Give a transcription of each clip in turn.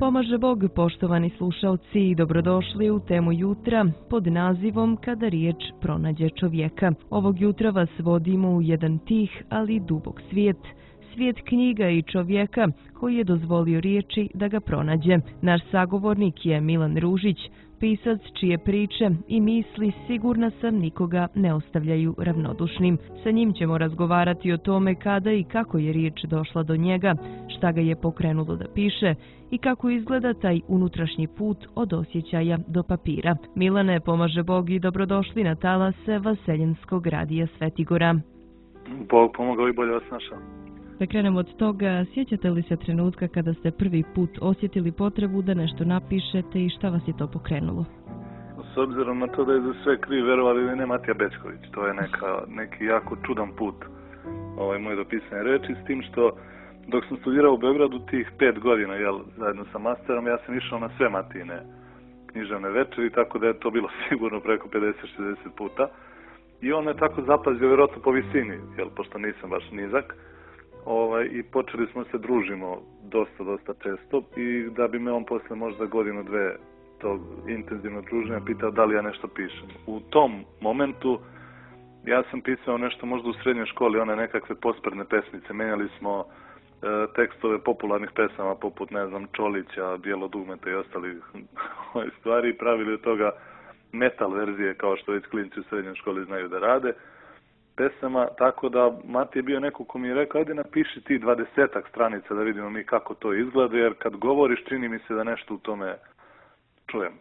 Pomaže Bog, poštovani slušaoci, i dobrodošli u temu jutra pod nazivom Kada riječ pronađe čovjeka. Ovog jutra vas vodimo u jedan tih, ali dubok svijet. Svijet knjiga i čovjeka koji je dozvolio riječi da ga pronađe. Naš sagovornik je Milan Ružić, pisac čije priče i misli, sigurna sam, nikoga ne ostavljaju ravnodušnim. Sa njim ćemo razgovarati o tome kada i kako je riječ došla do njega, šta ga je pokrenulo da piše i kako izgleda taj unutrašnji put od osjećaja do papira. Milane, pomaže Bog i dobrodošli na talase Vaseljenskog radija Svetigora. Bog pomogao i bolje vas našao. Da krenemo od toga, sjećate li se trenutka kada ste prvi put osjetili potrebu da nešto napišete i šta vas je to pokrenulo? S obzirom na to da je za sve kriv, verovali ili ne, Matija Bećković. To je neki jako čudan put moj do pisanja reči, s tim što dok sam studirao u Beogradu tih 5 godina, zajedno sa masterom, ja sam išao na sve Matijine književne večeri, tako da je to bilo sigurno preko 50-60 puta. I on me tako zapazio, vjerojatno po visini, pošto nisam baš nizak. I počeli smo se družimo dosta često i da bi me on posle možda godinu, dve tog intenzivnog druženja pitao da li ja nešto pišem. U tom momentu ja sam pisao nešto možda u srednjoj školi, one nekakve posprdne pesmice. Menjali smo tekstove popularnih pesama poput, Čolića, Bijelo dugmeta i ostalih stvari i pravili od toga metal verzije kao što već klinci u srednjoj školi znaju da rade. Pesama, tako da Mati je bio neko ko mi je rekao, ajde napiši ti 20-ak stranica da vidimo mi kako to izgleda, jer kad govoriš čini mi se da nešto u tome čujem.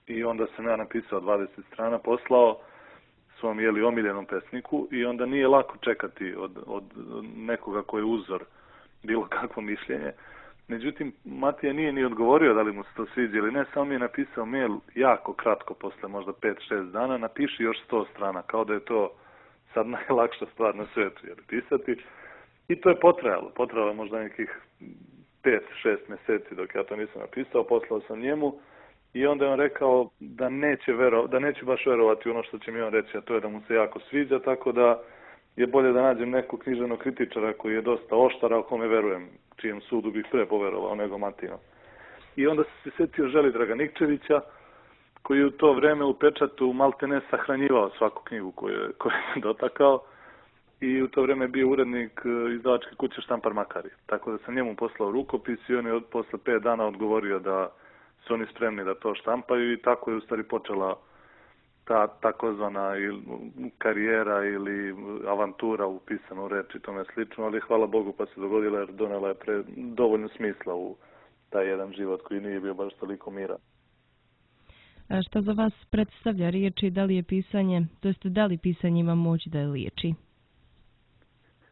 I onda sam ja napisao 20 strana, poslao svom omiljenom pesniku i onda nije lako čekati od nekoga koji je uzor bilo kakvo mišljenje. Međutim, Matija nije ni odgovorio da li mu se to sviđa ili ne, samo mi je napisao mail jako kratko, posle možda 5-6 dana, napiši još 100 strana, kao da je to sad najlakša stvar na svijetu, pisati. I to je potrajalo možda nekih 5-6 mjeseci dok ja to nisam napisao, poslao sam njemu i onda je on rekao da neće baš verovati ono što će mi on reći, a to je da mu se jako sviđa, tako da je bolje da nađem nekog književnog kritičara koji je dosta oštar, a o kome verujem, čijem sudu bih pre poverovao nego Matinom. I onda se sjetio Želidraga Nikčevića, koji je u to vreme u pečatu maltene sahranjivao svaku knjigu koju je dotakao i u to vreme bio urednik izdavačke kuće Štampar Makari. Tako da sam njemu poslao rukopis i on je posle 5 dana odgovorio da su oni spremni da to štampaju i tako je u stvari počela ta takozvana karijera ili avantura u pisanu reči i tome slično, ali hvala Bogu pa se dogodila jer donela je dovoljno smisla u taj jedan život koji nije bio baš toliko miran. A šta za vas predstavlja riječi, da li je pisanje, to jest da li pisanje ima moć da je liječi?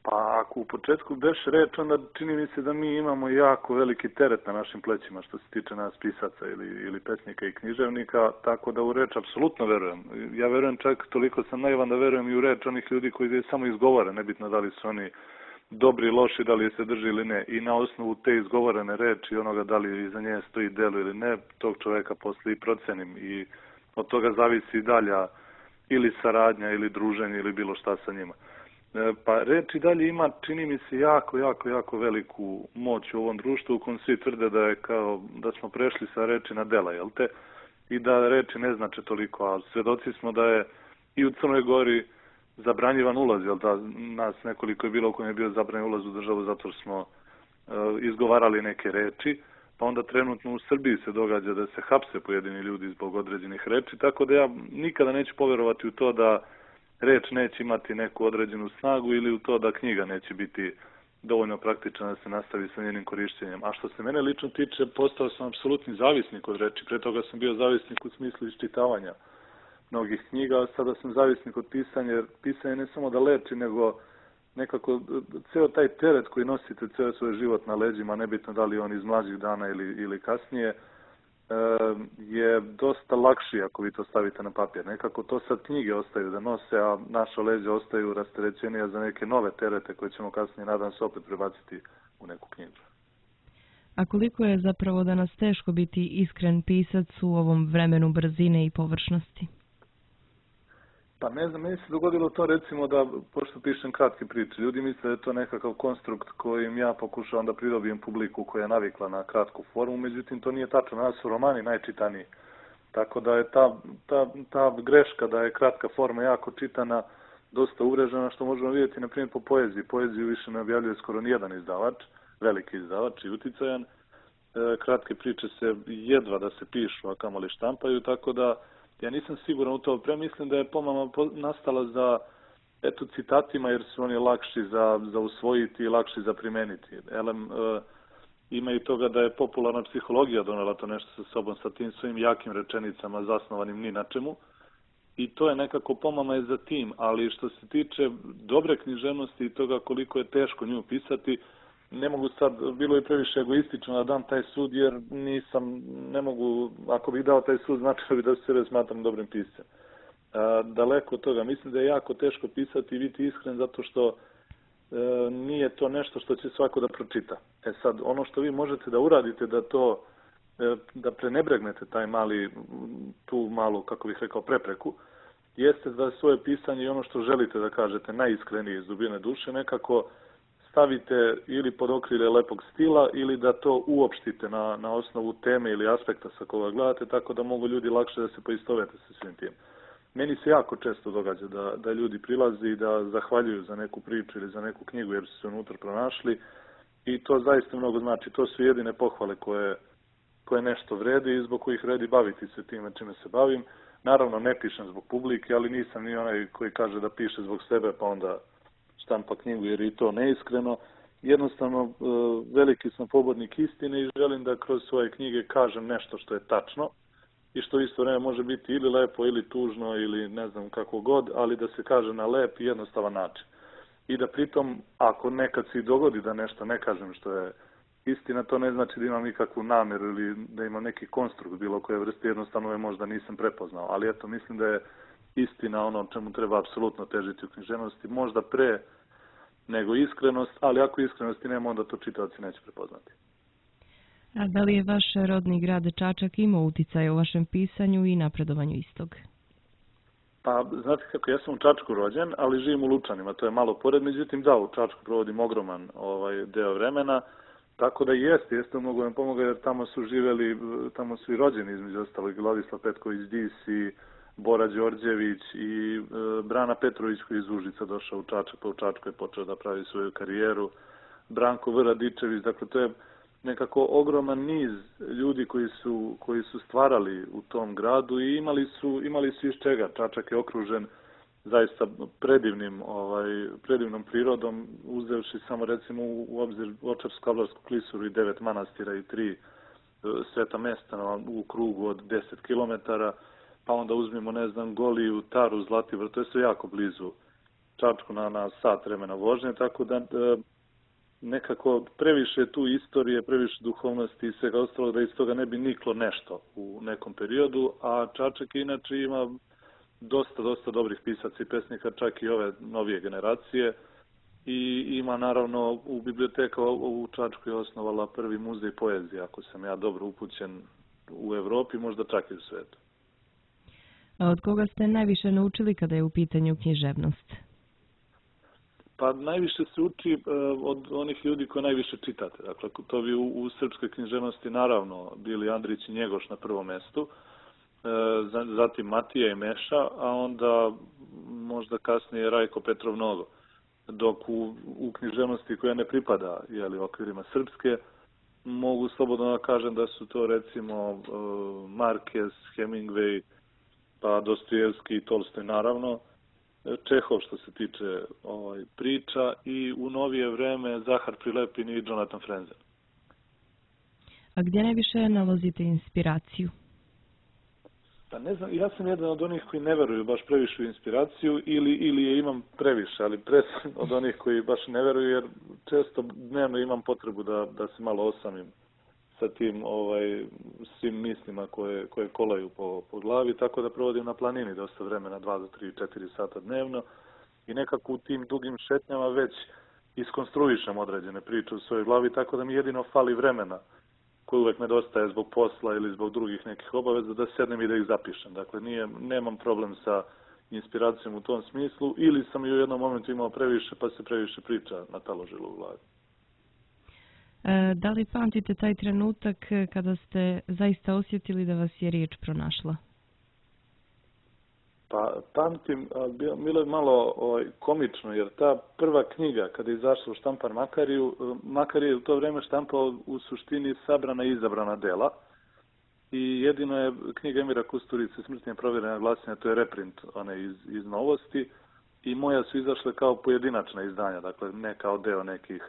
Pa ako u početku beš reč, onda čini mi se da mi imamo jako veliki teret na našim plećima što se tiče nas pisaca ili pesnika i književnika, tako da u reč apsolutno verujem. Ja verujem čak toliko sam naivan da verujem i u reč onih ljudi koji je samo izgovore, nebitno da li su oni dobri, loši, da li je se drži ili ne. I na osnovu te izgovorene reči, onoga da li iza nje stoji delo ili ne, tog čoveka posle i procenim i od toga zavisi dalja ili saradnja ili druženje ili bilo šta sa njima. Pa reč i dalje ima, čini mi se, jako veliku moć u ovom društvu u kojem svi tvrde da je kao da smo prešli sa reči na dela, I da reči ne znače toliko, a svedoci smo da je i u Crnoj Gori zabranjivan ulaz, da nas nekoliko je bilo u kojem je bio zabranjen ulaz u državu zato što smo izgovarali neke reči, pa onda trenutno u Srbiji se događa da se hapse pojedini ljudi zbog određenih reči, tako da ja nikada neću poverovati u to da reč neće imati neku određenu snagu ili u to da knjiga neće biti dovoljno praktična da se nastavi sa njenim korištenjem. A što se mene lično tiče, postao sam apsolutni zavisnik od reči. Pre toga sam bio zavisnik u smislu iščitavanja mnogih knjiga, a sada sam zavisnik od pisanja, jer pisanje ne samo da leči, nego nekako ceo taj teret koji nosite ceo svoj život na leđima, nebitno da li on iz mlađih dana ili kasnije, je dosta lakši ako vi to stavite na papir. Nekako to sad knjige ostaju da nose, a naša leđa ostaju rasterećenija za neke nove terete koje ćemo kasnije, nadam se, opet prebaciti u neku knjigu. A koliko je zapravo danas teško biti iskren pisac u ovom vremenu brzine i površnosti? Pa ne znam, meni se dogodilo to recimo da, pošto pišem kratke priče, ljudi misle da je to nekakav konstrukt kojim ja pokušavam da pridobijem publiku koja je navikla na kratku formu, međutim to nije tačno, nas su romani najčitaniji. Tako da je ta greška da je kratka forma jako čitana dosta uvrežena, što možemo vidjeti na primjer po poeziji. Poeziju više ne objavljuje skoro nijedan izdavač, veliki izdavač i uticajan. Kratke priče se jedva da se pišu, a kamoli štampaju, tako da ja nisam siguran u to. Mislim da je pomama nastala za citatima, jer su oni lakši za usvojiti i lakši za primeniti. Ima i toga da je popularna psihologija donela to nešto sa sobom, sa tim svojim jakim rečenicama zasnovanim ni na čemu. I to je nekako pomama je za tim, ali što se tiče dobre književnosti i toga koliko je teško nju pisati, ne mogu sad, bilo je previše egoistično da dam taj sud, jer ne mogu, ako bih dao taj sud, značilo bi da se sebe smatram dobrim piscem. Daleko od toga, mislim da je jako teško pisati i biti iskren, zato što nije to nešto što će svako da pročita. Sad, ono što vi možete da uradite da prenebregnete tu malu, kako bih rekao, prepreku, jeste da svoje pisanje i ono što želite da kažete najiskrenije iz dubine duše nekako stavite ili pod okrilje lepog stila ili da to uopštite na osnovu teme ili aspekta sa koga gledate, tako da mogu ljudi lakše da se poistovete sa svim tim. Meni se jako često događa da ljudi prilaze i da zahvaljuju za neku priču ili za neku knjigu jer su se unutra pronašli i to zaista mnogo znači. To su jedine pohvale koje nešto vredi i zbog kojih vredi baviti se time čime se bavim. Naravno ne pišem zbog publike, ali nisam ni onaj koji kaže da piše zbog sebe pa onda štampa knjigu jer je to neiskreno. Jednostavno veliki sam pobornik istine i želim da kroz svoje knjige kažem nešto što je tačno i što isto vreme može biti ili lepo ili tužno ili ne znam kako god, ali da se kaže na lep i jednostavan način. I da pritom, ako nekad se i dogodi da nešto ne kažem što je istina, to ne znači da imam nikakvu namjeru ili da imam neki konstrukt bilo koje vrste, jednostavno je možda nisam prepoznao. Ali eto, mislim da je istina ono čemu treba apsolutno težiti u književnosti, možda pre nego iskrenost, ali ako iskrenosti nema, onda to čitaoci neće prepoznati. A da li je vaš rodni grad Čačak imao uticaja u vašem pisanju i napredovanju istog? Pa, znate kako, ja sam u Čačku rođen, ali živim u Lučanima, to je malo pored, međutim da, u Čačku provodim ogroman deo vremena, tako da jeste mnogo vam pomoga, jer tamo su živeli, tamo su i rođeni između ostalog Vladislav Petković-Dis i Bora Đorđević i Brana Petrović koji iz Užica došao u Čačak, pa u Čačku je počeo da pravi svoju karijeru, Branko V. Radičević, dakle to je nekako ogroman niz ljudi koji su stvarali u tom gradu i imali su iz čega. Čačak je okružen zaista predivnom prirodom, uzevši samo recimo u obzir Ovčarsko-Kablarsku klisuru i 9 manastira i 3 sveta mesta u krugu od 10 km, pa onda uzmimo, ne znam, Goliju, Taru, Zlatibor, to je sve jako blizu Čačku na sat vremena vožnje, tako da nekako previše tu istorije, previše duhovnosti i svega ostalog da iz toga ne bi niklo nešto u nekom periodu, a Čačak inače ima dosta dobrih pisaca i pesnika, čak i ove novije generacije i ima naravno u biblioteka u Čačku je osnovala prvi muzej poezije, ako sam ja dobro upućen u Evropi, možda čak i u svetu. A od koga ste najviše naučili kada je u pitanju književnost? Pa najviše se uči od onih ljudi koje najviše čitate. Dakle, to bi u srpskoj književnosti naravno bili Andrić i Njegoš na prvom mestu, zatim Matija i Meša, a onda možda kasnije Rajko Petrov Nogo. Dok u književnosti koja ne pripada okvirima srpske, mogu slobodno da kažem da su to recimo Marquez, Hemingway, pa Dostojevski i Tolstoj naravno, Čehov što se tiče priča i u novije vreme Zahar Prilepin i Jonathan Franzen. A gdje najviše nalazite inspiraciju? Pa ne znam, ja sam jedan od onih koji ne veruju baš previše u inspiraciju ili je imam previše, ali sam od onih koji baš ne veruju jer često dnevno imam potrebu da se malo osamim sa tim svim mislima koje kolaju po glavi, tako da provodim na planini dosta vremena, 2 do 3, 4 sata dnevno i nekako u tim dugim šetnjama već iskonstruišem određene priče u svojoj glavi, tako da mi jedino fali vremena koje uvek nedostaje zbog posla ili zbog drugih nekih obaveza da sednem i da ih zapišem. Dakle, nemam problem sa inspiracijom u tom smislu, ili sam i u jednom momentu imao previše, pa se previše priča nataložilo u glavi. Da li pamtite taj trenutak kada ste zaista osjetili da vas je riječ pronašla? Pa pamtim, bilo je malo komično, jer ta prva knjiga, kada je izašla u štampar Makar je u to vrijeme štampao u suštini sabrana i izabrana dela. I jedino je knjiga Emira Kusturice Smrtnje provjerena glasina, to je reprint iz Novosti. I moja su izašle kao pojedinačna izdanja, dakle ne kao deo nekih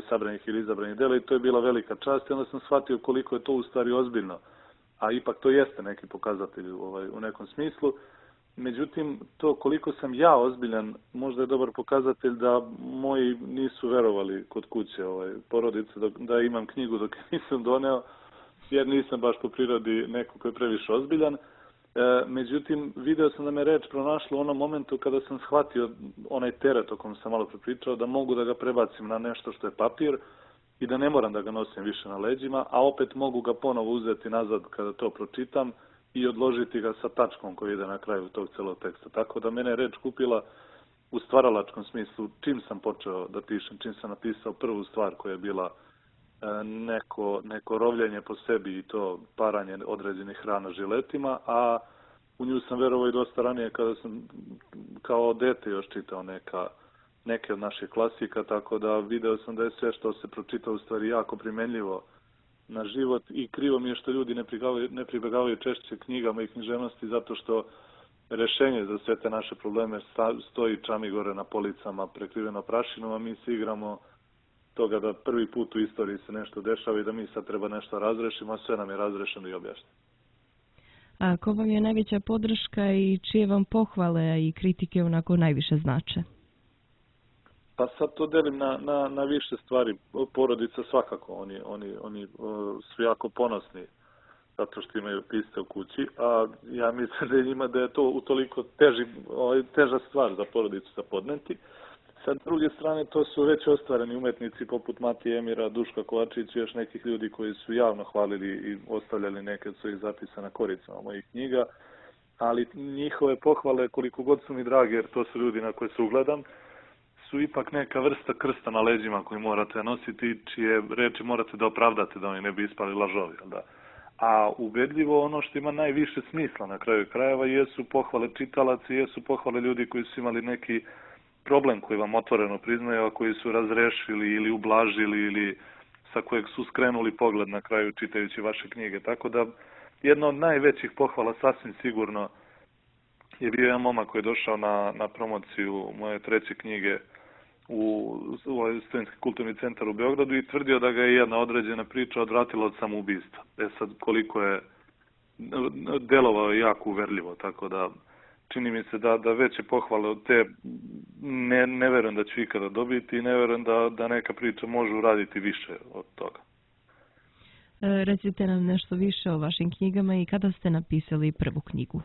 sabranih ili izabranih dela, i to je bila velika čast. I onda sam shvatio koliko je to u stvari ozbiljno, a ipak to jeste neki pokazatelj u nekom smislu. Međutim, to koliko sam ja ozbiljan, možda je dobar pokazatelj da moji nisu verovali kod kuće porodice da imam knjigu dok je nisam doneo, jer nisam baš po prirodi neko koji je previše ozbiljan. Međutim, video sam da me reč pronašla u onom momentu kada sam shvatio onaj teret o kojem sam malo prepričao, da mogu da ga prebacim na nešto što je papir i da ne moram da ga nosim više na leđima, a opet mogu ga ponovo uzeti nazad kada to pročitam i odložiti ga sa tačkom koji ide na kraju tog celog teksta. Tako da mene je reč kupila u stvaralačkom smislu čim sam počeo da pišem, čim sam napisao prvu stvar koja je bila neko rovljenje po sebi i to paranje određenih hrana žiletima, a u nju sam verovao i dosta ranije kada sam kao dete još čitao neke od naših klasika, tako da video sam da je sve što se pročita u stvari jako primenljivo na život i krivo mi je što ljudi ne pribegavaju češće knjigama i književnosti, zato što rešenje za sve te naše probleme stoji čami gore na policama prekriveno prašinom, a mi se igramo toga da prvi put u istoriji se nešto dešava i da mi sad treba nešto razrešimo, a sve nam je razrešeno i objašnjeno. A ko vam je najveća podrška i čije vam pohvale i kritike onako najviše znače? Pa sad to delim na više stvari. Porodica svakako, oni su jako ponosni zato što imaju pisce u kući, a ja mislim da je to utoliko teža stvar za porodicu za podneti. Sa druge strane, to su već ostvareni umetnici poput Matije Emira, Duška Kovačića i još nekih ljudi koji su javno hvalili i ostavljali neke od svojih zapisa na koricama mojih knjiga, ali njihove pohvale, koliko god su mi drage, jer to su ljudi na koje se ugledam, su ipak neka vrsta krsta na leđima koji morate nositi, čije reči morate da opravdate da oni ne bi ispali lažovi. Da? A ubedljivo ono što ima najviše smisla na kraju krajeva jesu pohvale čitalaca, jesu pohvale ljudi koji su imali neki problem koji vam otvoreno priznaju, a koji su razrešili ili ublažili ili sa kojeg su skrenuli pogled na kraju čitajući vaše knjige. Tako da jedna od najvećih pohvala sasvim sigurno je bio jedan momak koji je došao na promociju moje treće knjige u Studentski kulturni centar u Beogradu i tvrdio da ga je jedna određena priča odvratila od samoubistva. Sad koliko je delovao jako uverljivo, tako da čini mi se da veće pohvale od te ne verujem da ću ikada dobiti i ne verujem da neka priča može uraditi više od toga. Recite nam nešto više o vašim knjigama i kada ste napisali prvu knjigu?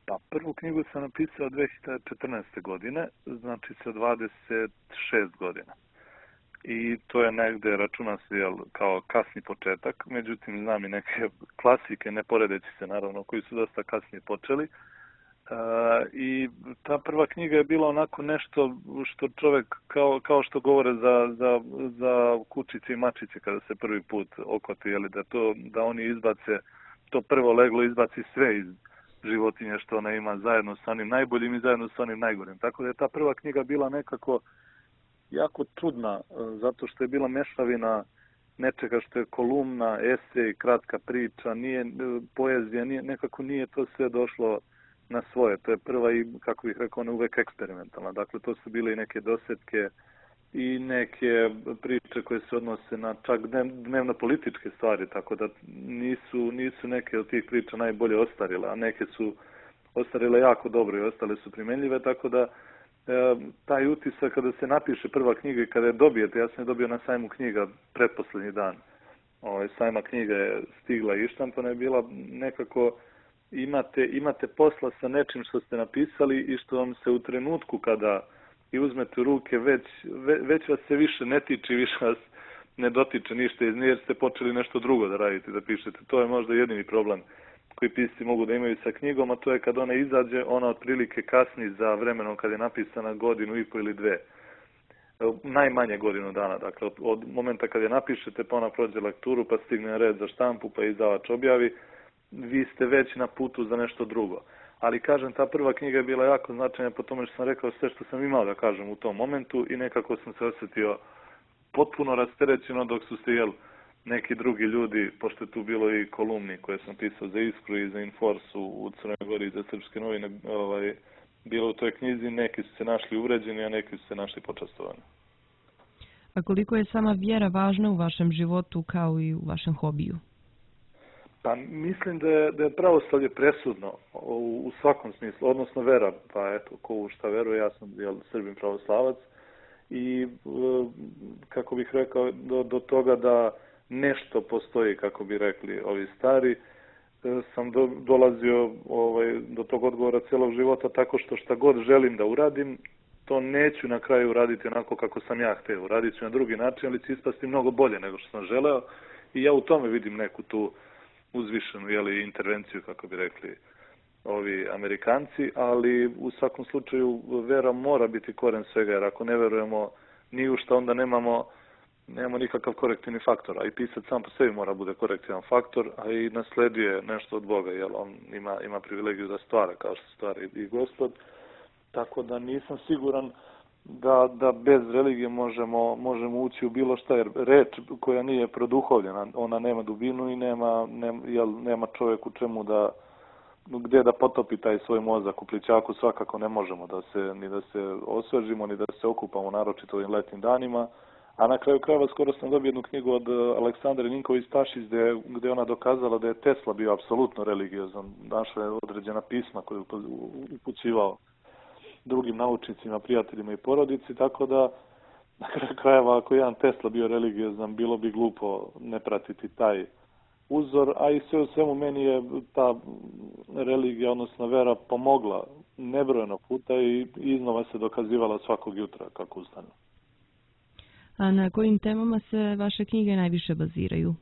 Pa, prvu knjigu sam napisao 2014. godine, znači sa 26 godina. I to je negde, računa se kao kasni početak, međutim znam i neke klasike, ne poredeći se naravno, koji su dosta kasnije počeli. I ta prva knjiga je bila onako nešto što čovjek, kao što govore za kučice i mačice kada se prvi put okvati, da oni izbace, to prvo leglo izbaci sve iz životinje što ona ima zajedno sa onim najboljim i zajedno sa onim najgorim. Tako da je ta prva knjiga bila nekako jako čudna, zato što je bila mešavina nečega što je kolumna, esej, kratka priča, poezija, nekako nije to sve došlo na svoje. To je prva i, kako bih rekao, uvek eksperimentalna. Dakle, to su bile i neke dosetke i neke priče koje se odnose na čak dnevno političke stvari, tako da nisu neke od tih priča najbolje ostarile, a neke su ostarile jako dobro i ostale su primenljive, tako da taj utisak kada se napiše prva knjiga i kada je dobijete, ja sam je dobio na sajmu knjiga pretposlednji dan. Sajma knjiga je stigla i štampana je bila nekako, imate posla sa nečim što ste napisali i što vam se u trenutku kada i uzmete u ruke, već vas se više ne tiče, više vas ne dotiče ništa, jer ste počeli nešto drugo da radite, da pišete. To je možda jedini problem koji pisci mogu da imaju sa knjigom, a to je kad ona izađe, ona otprilike kasni za vremenom kad je napisana godinu i po ili dve. Najmanje godinu dana, dakle od momenta kad je napišete pa ona prođe lekturu pa stigne na red za štampu pa izdavač objavi, vi ste već na putu za nešto drugo. Ali kažem, ta prva knjiga je bila jako značajna po tome što sam rekao sve što sam imao da kažem u tom momentu i nekako sam se osjetio potpuno rasterećeno dok su se neki drugi ljudi, pošto je tu bilo i kolumni koje sam pisao za Iskru i za Inforsu u Crnoj Gori i za Srpske novine, bilo u toj knjizi, neki su se našli uvređeni, a neki su se našli počastovani. A koliko je sama vjera važna u vašem životu kao i u vašem hobiju? Pa mislim da je pravoslavlje presudno u svakom smislu, odnosno vera, pa eto, ko u šta veruje, ja sam Srbin pravoslavac i kako bih rekao, do toga da nešto postoji, kako bi rekli ovi stari, sam dolazio do tog odgovora celog života tako što šta god želim da uradim, to neću na kraju uraditi onako kako sam ja hteo. Uradit ću na drugi način, ali će ispasti mnogo bolje nego što sam želeo i ja u tome vidim neku tu uzvišenu intervenciju, kako bi rekli ovi Amerikanci, ali u svakom slučaju vera mora biti koren svega, jer ako ne verujemo ni u šta, onda nemamo nikakav korektivni faktor, a i pisac sam po sebi mora bude korektivan faktor, a i nasleduje nešto od Boga, jer on ima privilegiju da stvara, kao što stvara i Gospod, tako da nisam siguran da bez religije možemo ući u bilo šta, jer reč koja nije produhovljena, ona nema dubinu i nema čovjek u čemu gdje da potopi taj svoj mozak. U plićaku svakako ne možemo ni da se osvežimo, ni da se okupamo, naročito ovim letnim danima. A na kraju krajeva skoro sam dobio jednu knjigu od Aleksandre Ninković-Tašić gdje ona dokazala da je Tesla bio apsolutno religiozan. Našla je određena pisma koje je upućivao drugim naučnicima, prijateljima i porodici, tako da na kraju krajeva ako jedan Tesla bio religiozan, bilo bi glupo ne pratiti taj uzor, a i sve u svemu meni je ta religija, odnosno vera, pomogla nebrojeno puta i iznova se dokazivala svakog jutra kako ustane. A na kojim temama se vaše knjige najviše baziraju?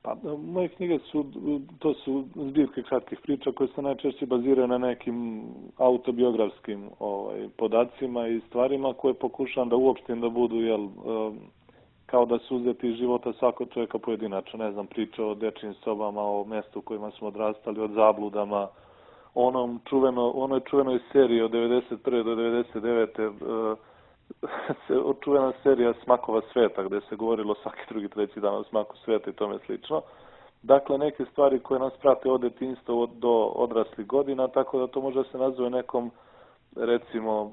Pa, moje knjige to su zbirke kratkih priča koje se najčešće baziraju na nekim autobiografskim podacima i stvarima koje pokušam da uopštim da budu kao da su uzeti iz života svakog čovjeka pojedinačno. Ne znam, priča o dečjim sobama, o mjestu u kojima smo odrastali, od zabludama, onoj čuvenoj seriji od 1991. do 1999. Čuvena serija Smakova sveta, gdje se govorilo svaki drugi, treći dan o smaku sveta i tome slično. Dakle, neke stvari koje nas prate od detinjstva do odraslih godina, tako da to može se nazove nekom, recimo,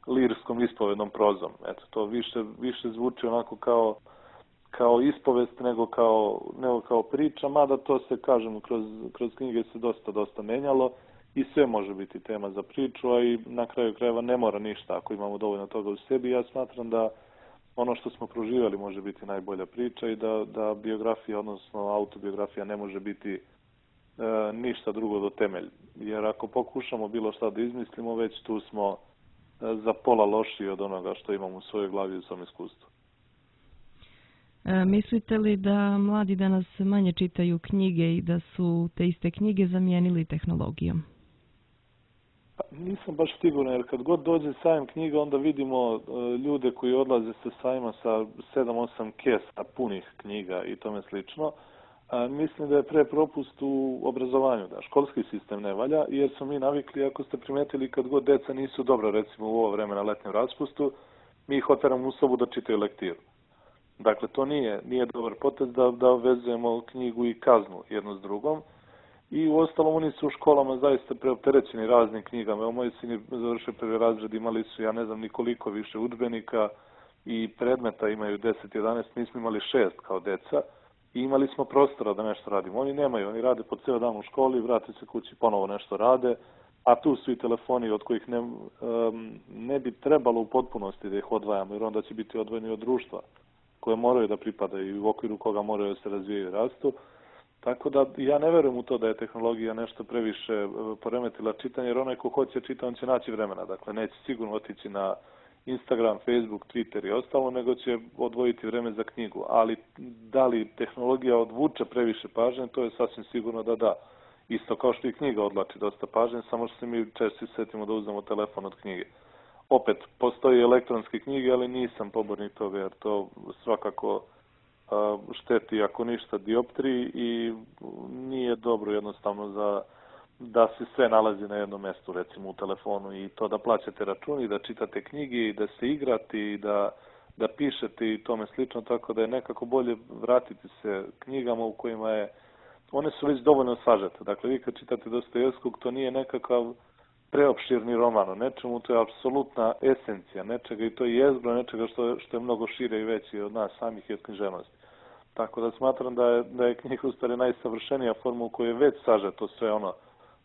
lirskom ispovednom prozom. Eto, to više zvuči onako kao ispovest nego kao priča, mada to se, kažem, kroz knjige se dosta menjalo i sve može biti tema za priču, a i na kraju krajeva ne mora ništa ako imamo dovoljno toga u sebi. Ja smatram da ono što smo proživjeli može biti najbolja priča i da biografija, odnosno autobiografija, ne može biti ništa drugo do temelj. Jer ako pokušamo bilo šta da izmislimo, već tu smo za pola lošiji od onoga što imamo u svojoj glavi i u svom iskustvu. Mislite li da mladi danas manje čitaju knjige i da su te iste knjige zamijenili tehnologijom? Nisam baš siguran, jer kad god dođe sajam knjiga, onda vidimo ljude koji odlaze sa sajma sa 7-8 kesa punih knjiga i tome slično. Mislim da je pre propust u obrazovanju, da školski sistem ne valja, jer smo mi navikli, ako ste primetili, kad god deca nisu dobra, recimo u ovo vreme na letnjem raspustu, mi ih oteramo u sobu da čitaju lektiru. Dakle, to nije dobar potez da vezujemo knjigu i kaznu jedno s drugom. I u ostalom oni su u školama zaista preopterećeni raznim knjigama. Evo, moji sini završili prvi razred, imali su, ja ne znam nikoliko više udžbenika i predmeta imaju 10-11, mi smo imali 6 kao deca i imali smo prostora da nešto radimo. Oni nemaju, oni rade po cijel dan u školi, vrate se kući, ponovo nešto rade, a tu su i telefoni od kojih ne bi trebalo u potpunosti da ih odvajamo, jer onda će biti odvojeni od društva koje moraju da pripadaju i u okviru koga moraju da se razvijaju i rastu. Tako da ja ne verujem u to da je tehnologija nešto previše poremetila čitanje, jer onaj ko hoće čita, on će naći vremena. Dakle, neće sigurno otići na Instagram, Facebook, Twitter i ostalo, nego će odvojiti vreme za knjigu. Ali da li tehnologija odvuče previše pažnje, to je sasvim sigurno da da. Isto kao što i knjiga odlači dosta pažnje, samo što se mi češće setimo da uzmemo telefon od knjige. Opet, postoji elektronske knjige, ali nisam pobornik toga, jer to svakako šteti, ako ništa, dioptriji i nije dobro jednostavno da se sve nalazi na jednom mestu, recimo u telefonu, i to da plaćate računi, da čitate knjige i da se igrate i da pišete i tome slično, tako da je nekako bolje vratiti se knjigama u kojima je, one su već dovoljno sažete. Dakle, vi kad čitate Dostojevskog, to nije nekakav preopširni roman o nečemu, to je apsolutna esencija nečega i to je jezgro nečega što je mnogo šire i veće od nas samih i od književnosti. Tako da smatram da je knjiga u stvari najsavršenija forma u kojoj je već sažeto sve ono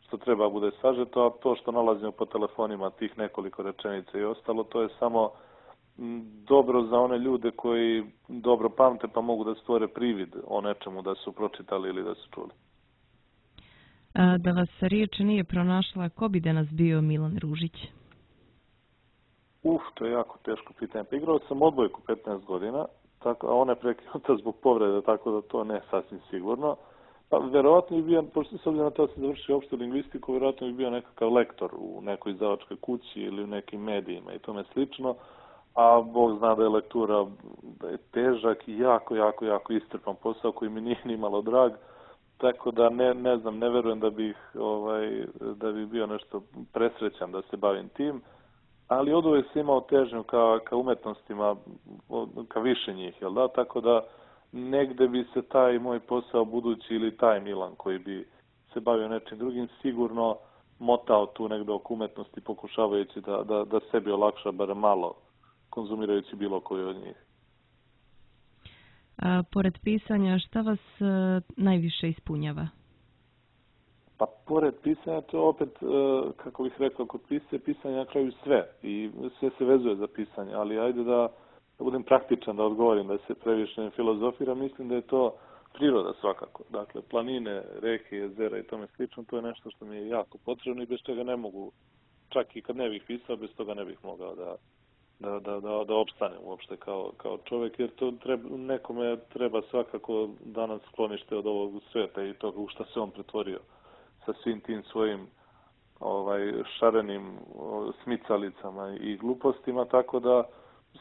što treba bude sažeto, a to što nalazimo po telefonima, tih nekoliko rečenica i ostalo, to je samo dobro za one ljude koji dobro pamte pa mogu da stvore privid o nečemu da su pročitali ili da su čuli. Da vas riječ nije pronašla, ko bi danas bio Milan Ružić? To je jako teško pitanje. Pa igrao sam odbojku 15 godina, a ona je prekinuta zbog povrede, tako da to ne sasvim sigurno. Pa verovatno bi bio, pošto s obzirom na to da sam završio opštu lingvistiku, verovatno bi bio nekakav lektor u nekoj izdavačkoj kući ili u nekim medijima i tome slično, a Bog zna da je lektura težak i jako iscrpan posao koji mi nije ni malo drag, tako da ne znam, ne verujem da bi bio nešto presrećan da se bavim tim, ali oduvek sam imao težnju ka umetnostima, ka više njih, jel da? Tako da negde bi se taj moj posao budući ili taj Milan koji bi se bavio nečim drugim sigurno motao tu negde oko umetnosti pokušavajući da sebi olakša bar malo konzumirajući bilo koju od njih. Pored pisanja, šta vas najviše ispunjava? Pa pored pisanja, to opet, kako bih rekao, kod pisanja na kraju sve i sve se vezuje za pisanje, ali ajde da budem praktičan, da odgovorim, da se previše ne filozofira, mislim da je to priroda svakako. Dakle, planine, reke, jezera i tome slično, to je nešto što mi je jako potrebno i bez čega ne mogu, čak i kad ne bih pisao, bez toga ne bih mogao da opstanem uopšte kao čovjek, jer to nekome treba svakako danas sklonište od ovog sveta i toga u šta se on pretvorio sa svim tim svojim šarenim smicalicama i glupostima, tako da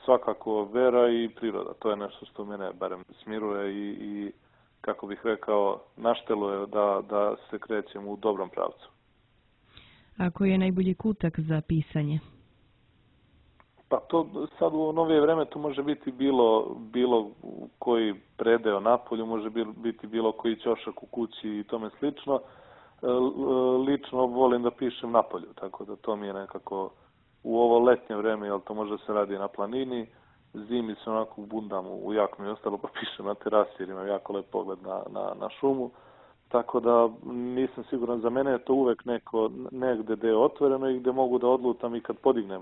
svakako vera i priroda, to je nešto što mene barem smiruje i kako bih rekao, našteluje da se krećem u dobrom pravcu. A koji je najbolji kutak za pisanje? Pa to sad u novije vreme to može biti bilo koji predeo napolju, može biti bilo koji ćošak u kući i tome slično. Lično volim da pišem napolju, tako da to mi je nekako u ovo letnje vreme, jer to može se radi na planini, zimi se onako bundam u jaknu i ostalo pa pišem na terasi jer imam jako lep pogled na šumu. Tako da nisam siguran, za mene je to uvek negde gde je otvoreno i gde mogu da odlutam i kad podignem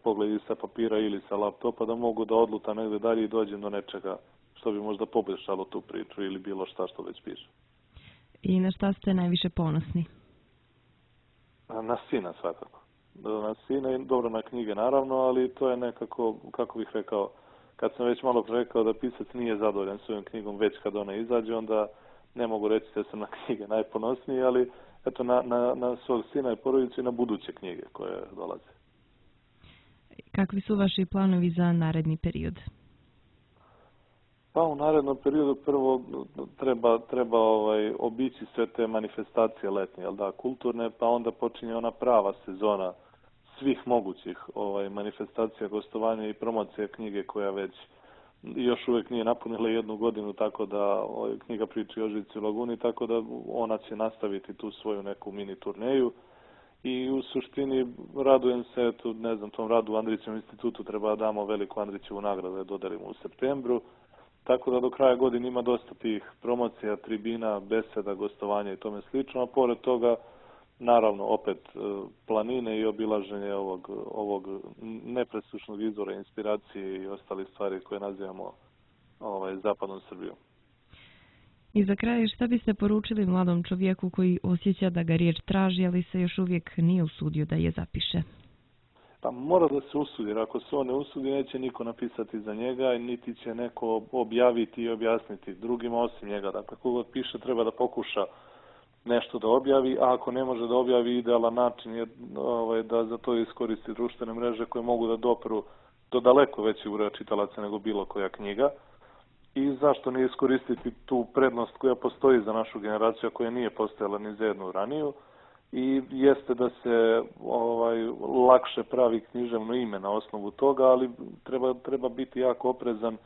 pogled sa papira ili sa laptopa, da mogu da odlutam negde dalje i dođem do nečega što bi možda poboljšalo tu priču ili bilo šta što već pišem. I na šta ste najviše ponosni? Na sina svakako. Na sina i dobro na knjige naravno, ali to je nekako, kako bih rekao, kad sam već malo rekao da pisac nije zadovoljan svojom knjigom već kad ona izađe, onda ne mogu reći da sam na knjige najponosniji, ali eto na svog sina i porodicu i na buduće knjige koje dolaze. Kakvi su vaši planovi za naredni period? Pa u narednom periodu prvo treba obići sve te manifestacije letnje, kulturne, pa onda počinje ona prava sezona svih mogućih manifestacija, gostovanja i promocija knjige koja već još uvijek nije napunila 1 godinu, tako da knjiga priči o Žici u Laguni, tako da ona će nastaviti tu svoju neku mini turneju. I u suštini radujem se, tom radu u Andrićevom institutu treba da damo veliku Andrićevu nagradu, da dodelimo u septembru. Tako da do kraja godine ima dosta tih promocija, tribina, beseda, gostovanja i tome slično, a pored toga, naravno, opet planine i obilaženje ovog nepresušnog izvora inspiracije i ostali stvari koje nazivamo zapadnom Srbijom. I za kraj, šta biste poručili mladom čovjeku koji osjeća da ga riječ traži, ali se još uvijek nije usudio da je zapiše? Pa mora da se usudi, jer ako se on ne usudi, neće niko napisati za njega, niti će neko objaviti i objasniti drugima osim njega. Dakle, kogod piše treba da pokuša nešto da objavi, a ako ne može da objavi, idealan način je da za to iskoristi društvene mreže koje mogu da dopru do daleko većeg broja čitalaca nego bilo koja knjiga. I zašto ne iskoristiti tu prednost koja postoji za našu generaciju, koja nije postojala ni za jednu raniju, i jeste da se lakše pravi književno ime na osnovu toga, ali treba biti jako oprezan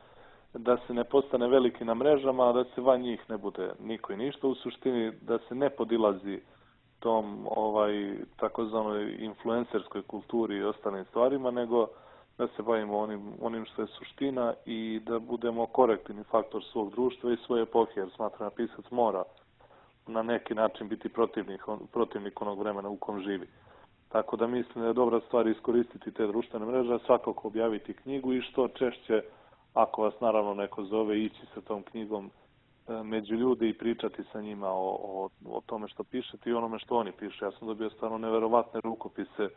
da se ne postane veliki na mrežama, a da se van njih ne bude niko i ništa. U suštini da se ne podilazi tom takozvanoj influencerskoj kulturi i ostalim stvarima, nego da se bavimo onim što je suština i da budemo korektivni faktor svog društva i svoje epohe, jer smatram da pisac mora na neki način biti protivnik onog vremena u kom živi. Tako da mislim da je dobra stvar iskoristiti te društvene mreže, svakako objaviti knjigu i što češće, ako vas naravno neko zove, ići sa tom knjigom među ljude i pričati sa njima o tome što pišete i onome što oni piše. Ja sam dobio stvarno neverovatne rukopise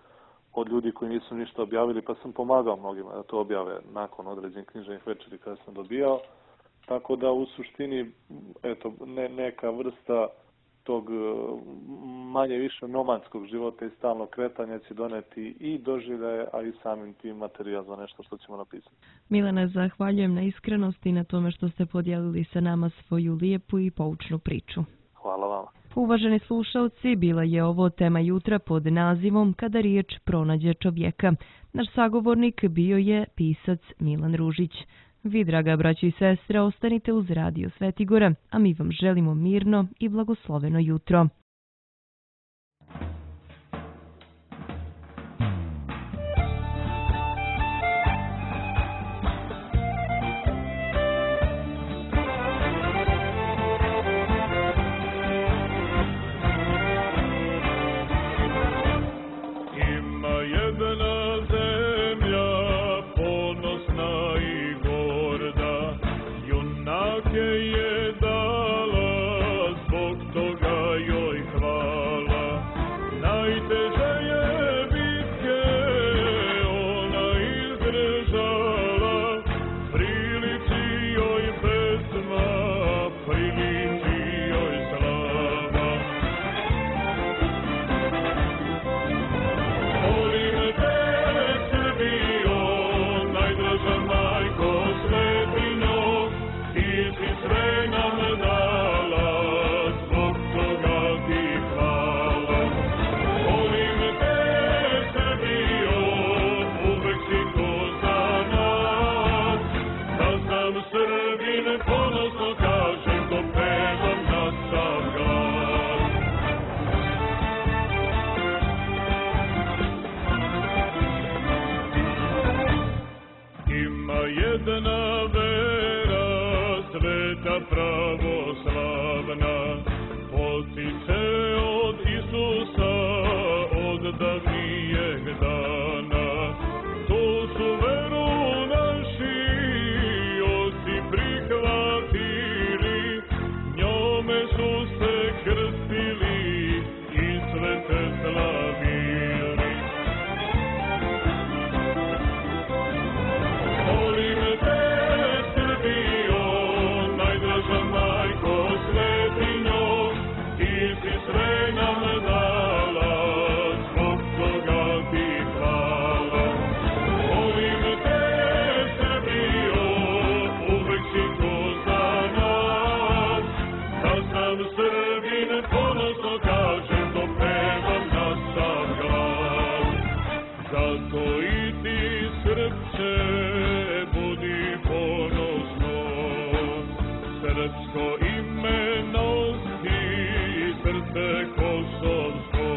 od ljudi koji nisu ništa objavili, pa sam pomagao mnogima da to objave nakon određenih književnih večeri kada sam dobijao. Tako da u suštini neka vrsta tog manje više nomadskog života i stalnog kretanja će doneti i doživljaje, a i samim tim materijal za nešto što ćemo napisati. Milane, zahvaljujem na iskrenosti i na tome što ste podijelili sa nama svoju lijepu i poučnu priču. Hvala vama. Uvaženi slušalci, bila je ovo tema jutra pod nazivom Kada riječ pronađe čovjeka. Naš sagovornik bio je pisac Milan Ružić. Vi, draga braćo i sestre, ostanite uz Radio Svetigora, a mi vam želimo mirno i blagosloveno jutro. Jedna vera sveta pravoslavna potiče od Isusa od davnijeg dana. To su veru naši oci prihvatili, njome su se krstili i svete slavili. Srpsko ime nosi, srce kosovsko.